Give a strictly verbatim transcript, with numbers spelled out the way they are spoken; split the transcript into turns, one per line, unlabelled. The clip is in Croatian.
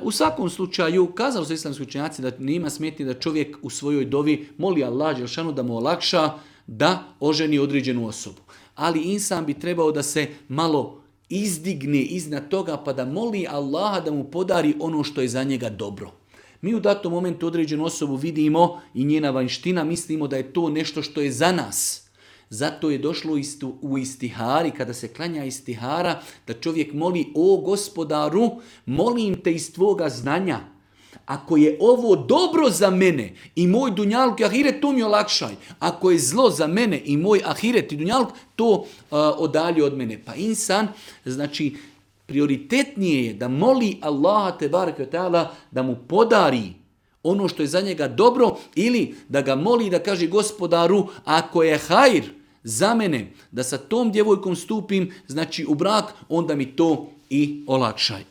U svakom slučaju, kazali su islamski učenjaci da nema smetnje da čovjek u svojoj dovi moli Allah dželešanu da mu olakša da oženi određenu osobu. Ali insan bi trebao da se malo izdigne iznad toga pa da moli Allaha da mu podari ono što je za njega dobro. Mi u datom momentu određenu osobu vidimo i njena vanjština, mislimo da je to nešto što je za nas. Zato je došlo u istihari, kada se klanja istihara, da čovjek moli: o Gospodaru, molim te iz tvoga znanja, ako je ovo dobro za mene i moj dunjaluk i ahiret, to mi olakšaj. Ako je zlo za mene i moj ahiret i dunjaluk, to uh, odalje od mene. Pa insan, znači, prioritetnije je da moli Allaha tebareke ve taala da mu podari ono što je za njega dobro, ili da ga moli da kaže: Gospodaru, ako je hajr za mene da sa tom djevojkom stupim, znači u brak, onda mi to i olakšaj.